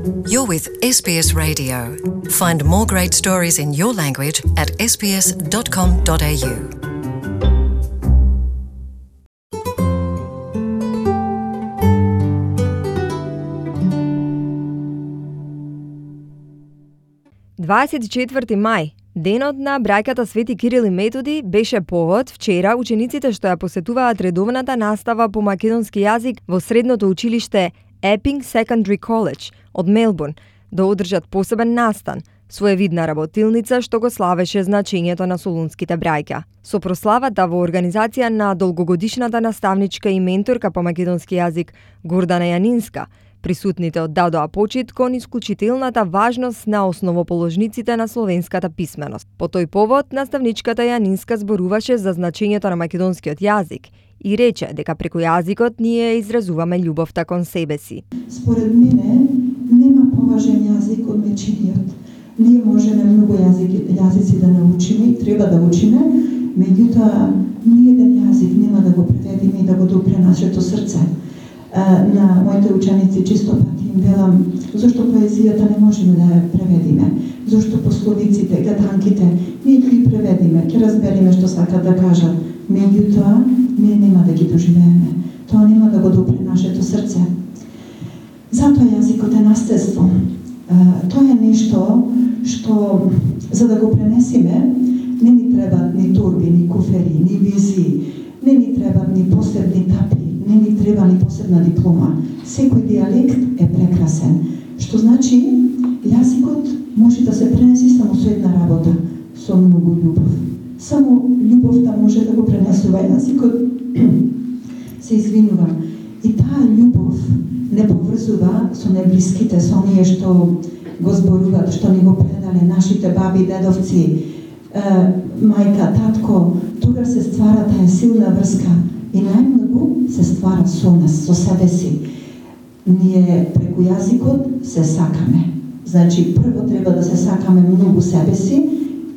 You're with SBS Radio. Find more great stories in your language at sbs.com.au. мај, денот на браќата Свети Кирил и Методи, беше повод вчера учениците што ја посетуваат редовната настава по македонски јазик во средното училиште Epping Secondary College од Мелбурн да одржат посебен настан, своевидна работилница што го славеше значењето на солунските браќа. Со прославата во организација на долгогодишната наставничка и менторка по македонски јазик Гордана Јанинска, присутните оддадоа почит кон исклучителната важност на основоположниците на словенската писменост. По тој повод, наставничката Јанинска зборуваше за значењето на македонскиот јазик и рече дека преку јазикот ние изразуваме љубовта кон себе си. Според мене, нема поважен јазик од мечениот. Ние можеме многу јазици да научиме и треба да учиме, меѓутоа ниеден јазик нема да го преведиме и да го допре нашето срце. На моите ученици чисто пати им велам зашто поезијата не можеме да ја преведиме, зашто пословиците, гаданките ние ги преведиме, ќе разбериме што сакат да кажат, меѓутоа ние нема да ги доживееме, тоа нема да го допре нашето срце. Затоа јазикот е наследство. Тоа е нешто што за да го пренесиме не ни требат ни торби, ни куфери, ни визии, не ни требат ни посебни тапи, не ни треба ни посебна диплома. Секој дијалект е прекрасен. Што значи, јазикот може да се пренеси само со една работа, со многу љубов. Само љубовта може да го пренесува јазикот. Се извинувам. И таа љубов не поврзува со неблиските, со оние што го зборуваат, што ни го предале нашите баби, дедовци, мајка, татко. Тога се ствара таа силна врска. И најмногу се ствара со нас, со себе си. Ние преку јазикот се сакаме. Значи, прво треба да се сакаме многу себе си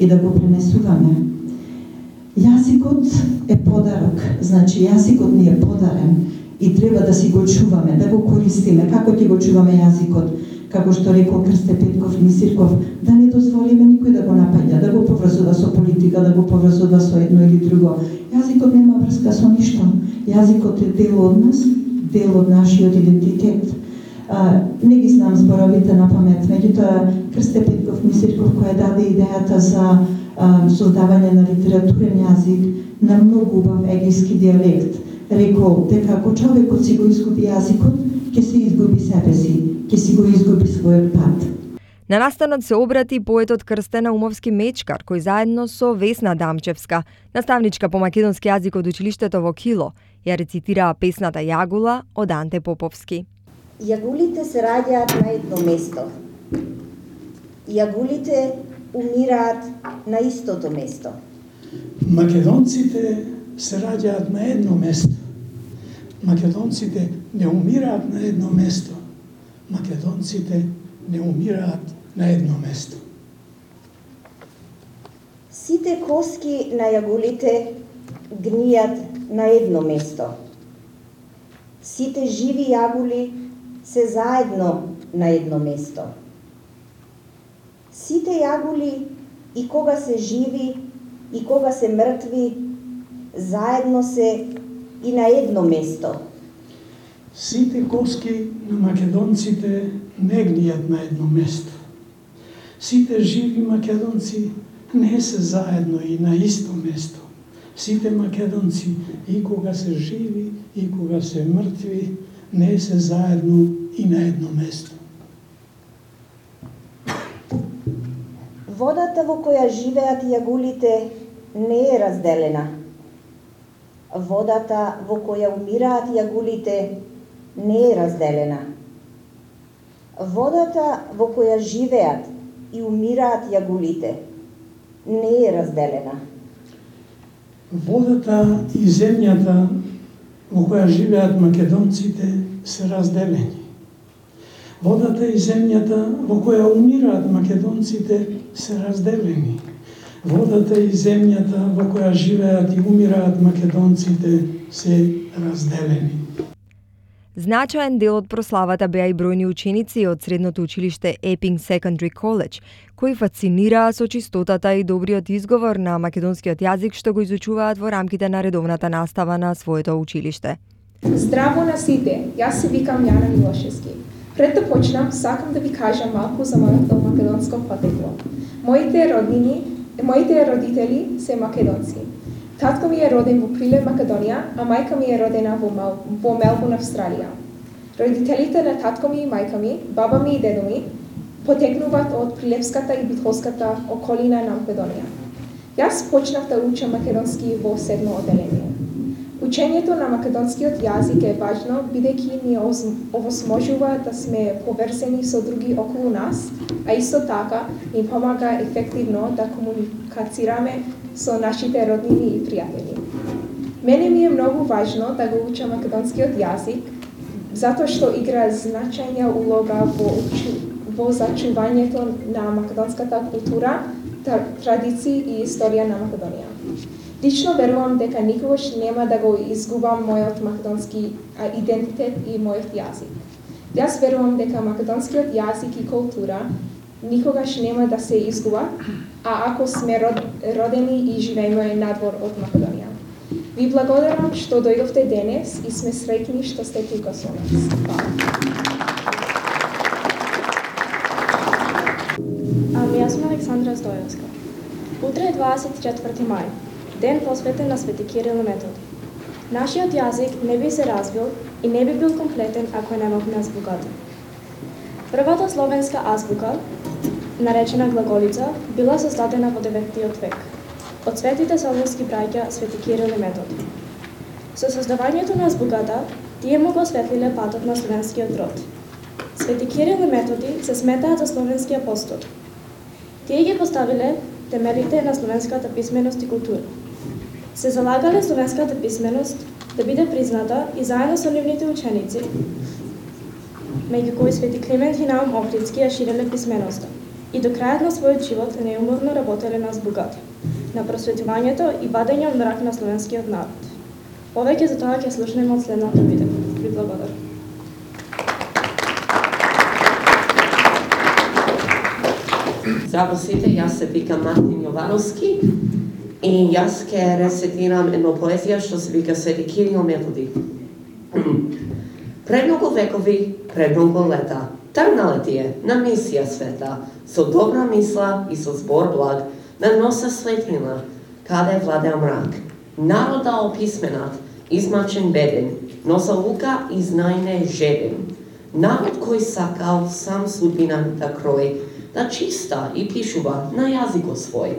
и да го пренесуваме. Јазикот е подарок. Значи, јазикот ни е подарен и треба да си го чуваме, да го користиме. Како ќе го чуваме јазикот? Како што рекол Крсте Петков Мисирков, да не дозволиме никој да го напаѓа, да го поврзува со политика, да го поврзува со едно или друго. Јазикот нема врска со ништо. Јазикот е дел од нас, дел од нашиот идентитет. Не ги знам зборовите на памет, меѓутоа Крсте Петков Мисирков која даде идејата за создавање на литературен јазик на многу убав егејски дијалект, рекол дека ако човекот си го изгуби јазикот, ќе се изгуби себе си, ќе си го изгуби својот пат. На настанот се обрати поетот Крстена Умовски-Мечкар, кој заедно со Весна Дамчевска, наставничка по македонски јазик од училиштето во Кило, ја рецитираа песната Јагула од Анте Поповски. Јагулите се раѓаат на едно место. Јагулите умираат на истото место. Македонците се раѓаат на едно место. Македонците не умираат на едно место. Македонците не умираат на едно место. Сите коски на јагулите гнијат на едно место. Сите живи јагули се заедно на едно место. Сите јагули и кога се живи и кога се мртви заедно се и на едно место. Сите коски на македонците не гнијат на едно место. Сите живи македонци не се заедно и на исто место. Сите македонци и кога се живи и кога се мртви не се заедно и на едно место. Водата во која живеат јагулите не е разделена. Водата во која умираат јагулите не е разделена. Водата во која живеат и умираат јагулите не е разделена. Водата и земјата во која живеат македонците се разделени. Водата и земјата во која умираат македонците се разделени. Водата и земјата во која живеат и умираат македонците се разделени. Значаен дел од прославата беа и бројни ученици од средното училиште Epping Secondary College, кои фасцинираа со чистотата и добриот изговор на македонскиот јазик што го изучуваат во рамките на редовната настава на своето училиште. Здраво на сите, јас се викам Јана Милошевски. Пред да почнам, сакам да ви кажам малку за моето македонско потекло. Моите родители се македонци. Татко ми е роден во Прилеп, Македонија, а мајка ми е родена во Мелбурн, Австралија. Родителите на татко ми и мајка ми, баба ми и дедо ми, потекнуваат од Прилепската и Битолската околина на Македонија. Јас почнав да учам македонски во 7-о одделение. Учењето на македонскиот јазик е важно, бидејќи ни овозможува да сме поврзани со други околу нас, а исто така ни помага ефективно да комуникацираме со нашите роднини и пријатели. Мене ми е многу важно да го учам македонскиот јазик, затоа што игра значајна улога во зачувањето на македонската култура, традиции и историја на Македонија. Лично верувам дека никогаш нема да го изгубам мојот македонски идентитет и мојот јазик. Јас верувам дека македонскиот јазик и култура никогаш нема да се изгубат, а ако сме родени и живееме надвор од Македонија. Ви благодарам што дојдовте денес и сме среќни што сте тука со нас. Јас сум Александра Стојовска. Утре е 24 мај, ден посветен на Свети Кирил и Методи. Нашиот јазик не би се развил и не би бил комплетен ако немавме азбуката. Првата словенска азбука, наречена глаголица, била создадена во 9 век од светите словенски браќа Свети Кирил и Методи. Со создавањето на азбуката, тие му го осветлиле патот на словенскиот род. Свети Кирил и Методи се сметаат за словенски апостоли. Тие ги поставиле темелите на словенската писменост и култура. Се залагале словенската писменост да биде призната и заедно со нивните ученици, меѓу кои Свети Климент и Наум Охридски ја ширеле писменоста и до крајот на својот живот неуморно работеле на азбуката, на просветувањето и вадење од мрак на словенскиот народ. Повеќе за тоа ќе слушнеме од следната видео. Ви благодарам. Здраво сите, јас се викам Мартин Јовановски и јас ќе рецитирам едно поезија што се вика Свети Кирил Методи. Пред многу векови, пред многу лета, тргнале тие на мисија света, со добра мисла и со збор благ, на носа светлина, каде владеа мрак. Народа описменат, измачен беден, но за лука и знајне жеден. Народ кој сакал сам судбина да крои, да чиста и пишува на јазикот свој.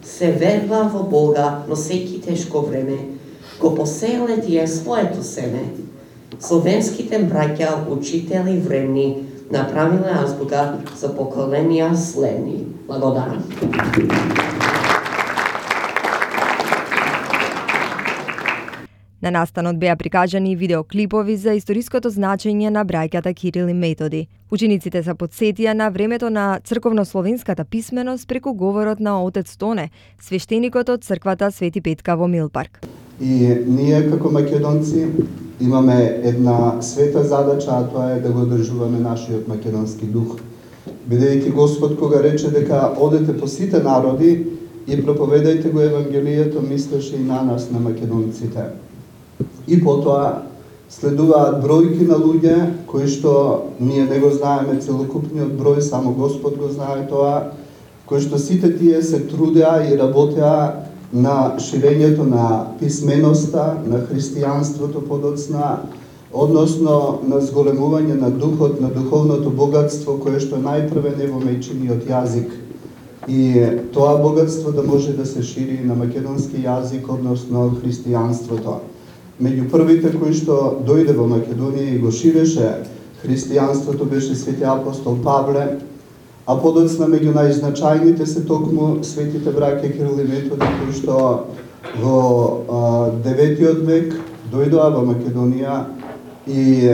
Се верва во Бога, но секи тешко време, го посееле тие своето семе. Словенските браќа, учители времни, направиле азбука за поколенија следни. Благодарам. На настанот беа прикажани видеоклипови за историското значење на браќата Кирил и Методи. Учениците се потсетија на времето на црковнословенската писменост преку говорот на отец Тоне, свештеникот од црквата Свети Петка во Милпарк. И ние како македонци имаме една света задача, а тоа е да го одржуваме нашиот македонски дух. Бидејќи Господ кога рече дека одете по сите народи и проповедајте го Евангелието, мислеше и на нас, на македонците. И потоа следуваат бројки на луѓе кои што ние не го знаеме целокупниот број, само Господ го знае тоа, кои што сите тие се трудеа и работеа на ширењето на писменоста, на христијанството подоцна, односно на зголемување на духот, на духовното богатство кое што најпрвен е во мајчиниот јазик. И тоа богатство да може да се шири на македонски јазик, односно христијанството. Меѓу првите кои што дојде во Македонија и го ширеше христијанството беше свети апостол Павле, а подоцна меѓу најзначајните се токму светите браќа Кирил и Методи кои што во 9 век дојдоа во Македонија и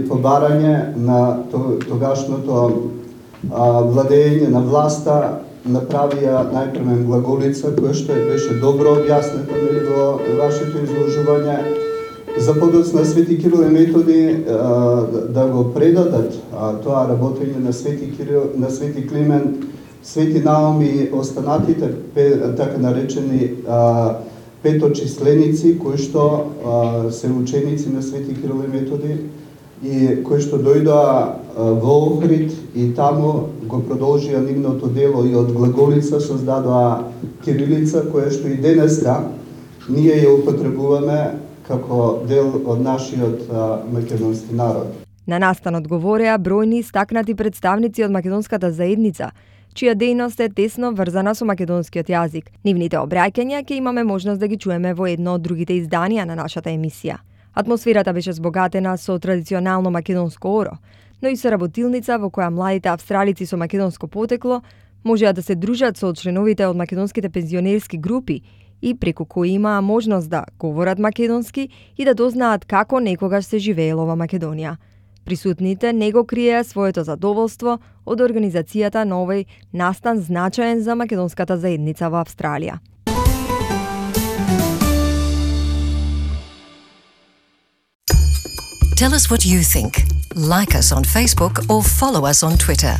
по барање на тогашното владење на власта направија најпрвен глаголица, која што беше добро објаснета во вашето изложување, За подоцна Свети Кирил и Методи да го предадат тоа работење на Свети Кирил, на Свети Климент, Свети Наум и останатите така наречени петочисленици кои што се ученици на Свети Кирил и Методи и кои што дојдоа во Охрид и таму го продолжија нивното дело и од глаголица создадоа кирилица која што и денеска ние ја употребуваме како дел од нашиот македонски народ. На настанот говореа бројни истакнати представници од македонската заедница, чија дејност е тесно врзана со македонскиот јазик. Нивните обраќања ќе имаме можност да ги чуеме во едно од другите изданија на нашата емисија. Атмосферата беше збогатена со традиционално македонско оро, но и со работилница во која младите австралици со македонско потекло можеа да се дружат со членовите од македонските пензионерски групи и преку кои имаа можност да говорат македонски и да дознаат како некогаш се живеело во Македонија. Присутните не го криеа своето задоволство од организацијата на овој настан значаен за македонската заедница во Австралија. Tell us what you think. Like us on Facebook or follow us on Twitter.